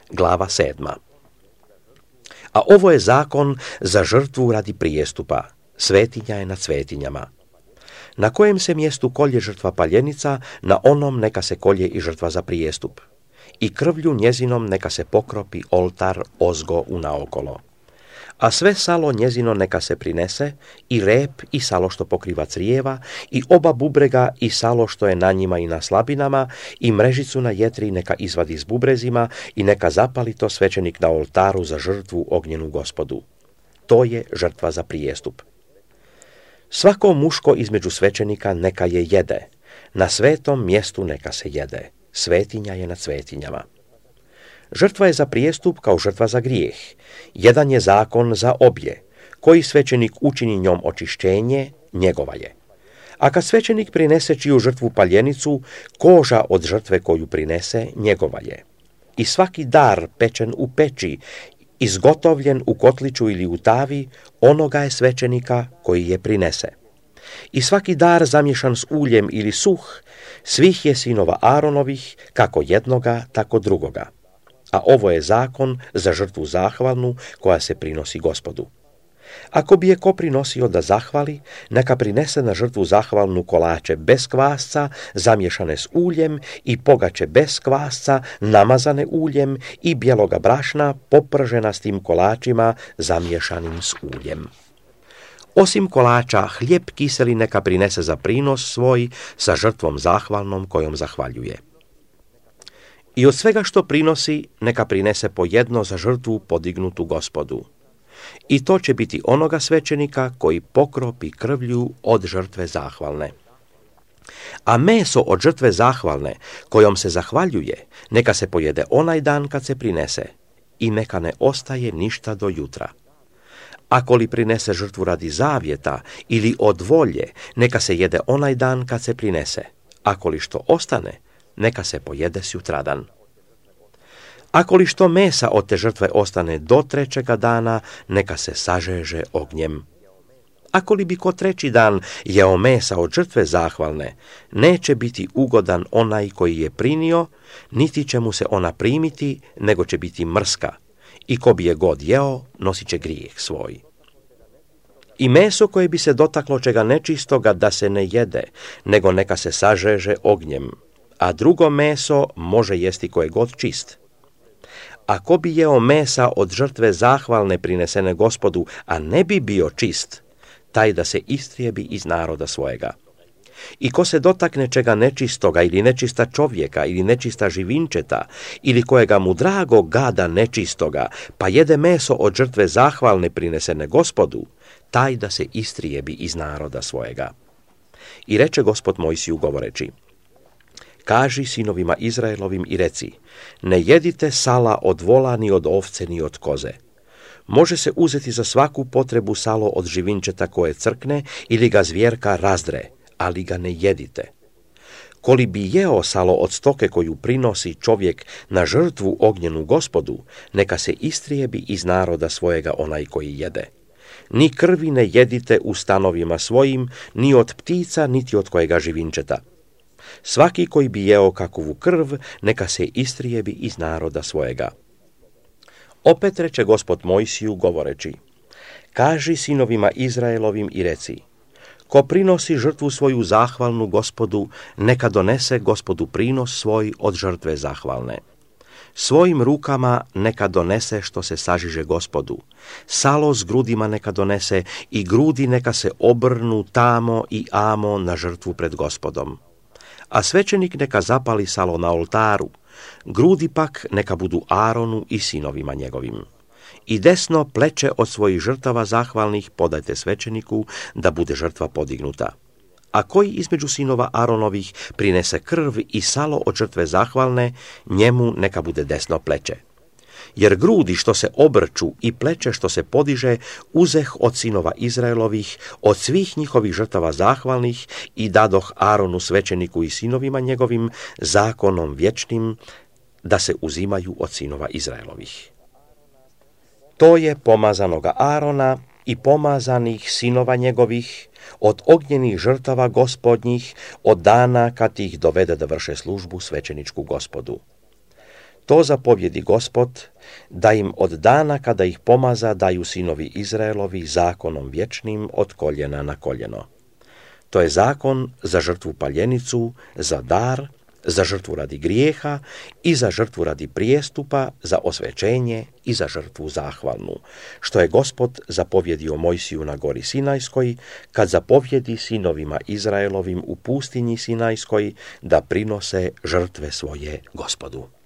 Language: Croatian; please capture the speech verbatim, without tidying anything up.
glava sedma. A ovo je zakon za žrtvu radi prijestupa, svetinja je nad svetinjama. Na kojem se mjestu kolje žrtva paljenica, na onom neka se kolje i žrtva za prijestup. I krvlju njezinom neka se pokropi oltar ozgo unaokolo. A sve salo njezino neka se prinese, i rep i salo što pokriva crijeva, i oba bubrega i salo što je na njima i na slabinama, i mrežicu na jetri neka izvadi s bubrezima, i neka zapali to svećenik na oltaru za žrtvu ognjenu Gospodu. To je žrtva za prijestup. Svako muško između svećenika neka je jede, na svetom mjestu neka se jede, svetinja je nad svetinjama. Žrtva je za prijestup kao žrtva za grijeh. Jedan je zakon za obje. Koji svećenik učini njom očišćenje, njegova je. A kad svećenik prinese čiju žrtvu paljenicu, koža od žrtve koju prinese, njegova je. I svaki dar pečen u peći, izgotovljen u kotliću ili u tavi, onoga je svećenika koji je prinese. I svaki dar zamješan s uljem ili suh, svih je sinova Aaronovih, kako jednoga, tako drugoga. A ovo je zakon za žrtvu zahvalnu koja se prinosi Gospodu. Ako bi je ko prinosio da zahvali, neka prinese na žrtvu zahvalnu kolače bez kvasca, zamješane s uljem, i pogače bez kvasca, namazane uljem, i bijeloga brašna, popržena s tim kolačima, zamješanim s uljem. Osim kolača, hljeb kiseli neka prinese za prinos svoj sa žrtvom zahvalnom kojom zahvaljuje. I od svega što prinosi, neka prinese po jedno za žrtvu podignutu Gospodu. I to će biti onoga svećenika koji pokropi krvlju od žrtve zahvalne. A meso od žrtve zahvalne, kojom se zahvaljuje, neka se pojede onaj dan kad se prinese, i neka ne ostaje ništa do jutra. Ako li prinese žrtvu radi zavjeta ili od volje, neka se jede onaj dan kad se prinese. Ako li što ostane, neka se pojede sutradan. Ako li što mesa od te žrtve ostane do trećega dana, neka se sažeže ognjem. Ako li bi ko treći dan jeo mesa od žrtve zahvalne, neće biti ugodan onaj koji je prinio, niti će mu se ona primiti, nego će biti mrska. I ko bi je god jeo, nosit će grijeh svoj. I meso koje bi se dotaklo čega nečistoga da se ne jede, nego neka se sažeže ognjem. A drugo meso može jesti koje god čist. Ako bi jeo mesa od žrtve zahvalne prinesene Gospodu, a ne bi bio čist, taj da se istrijebi iz naroda svojega. I ko se dotakne čega nečistoga ili nečista čovjeka ili nečista živinčeta ili kojega mu drago gada nečistoga, pa jede meso od žrtve zahvalne prinesene Gospodu, taj da se istrijebi iz naroda svojega. I reče Gospod Mojsiju govoreći: Kaži sinovima Izraelovim i reci, ne jedite sala od vola ni od ovce ni od koze. Može se uzeti za svaku potrebu salo od živinčeta koje crkne ili ga zvjerka razdre, ali ga ne jedite. Koli bi jeo salo od stoke koju prinosi čovjek na žrtvu ognjenu Gospodu, neka se istrijebi iz naroda svojega onaj koji jede. Ni krvi ne jedite u stanovima svojim, ni od ptica, niti od kojega živinčeta. Svaki koji bi jeo kakovu krv, neka se istrijebi iz naroda svojega. Opet reče Gospod Mojsiju govoreći: Kaži sinovima Izraelovim i reci, ko prinosi žrtvu svoju zahvalnu Gospodu, neka donese Gospodu prinos svoj od žrtve zahvalne. Svojim rukama neka donese što se sažiže Gospodu. Salo s grudima neka donese i grudi neka se obrnu tamo i amo na žrtvu pred Gospodom. A svećenik neka zapali salo na oltaru, grudi pak neka budu Aaronu i sinovima njegovim. I desno pleće od svojih žrtava zahvalnih podajte svećeniku da bude žrtva podignuta. A koji između sinova Aaronovih prinese krv i salo od žrtve zahvalne, njemu neka bude desno pleće. Jer grudi što se obrču i pleće što se podiže uzeh od sinova Izraelovih, od svih njihovih žrtava zahvalnih i dadoh Aaronu svećeniku i sinovima njegovim zakonom vječnim da se uzimaju od sinova Izraelovih. To je pomazanoga Aarona i pomazanih sinova njegovih od ognjenih žrtava Gospodnjih od dana kad ih dovede da vrše službu svećeničku Gospodu. To zapovjedi Gospod, da im od dana kada ih pomaza daju sinovi Izraelovi zakonom vječnim od koljena na koljeno. To je zakon za žrtvu paljenicu, za dar, za žrtvu radi grijeha i za žrtvu radi prijestupa, za osvećenje i za žrtvu zahvalnu, što je Gospod zapovjedio Mojsiju na gori Sinajskoj, kad zapovjedi sinovima Izraelovim u pustinji Sinajskoj da prinose žrtve svoje Gospodu.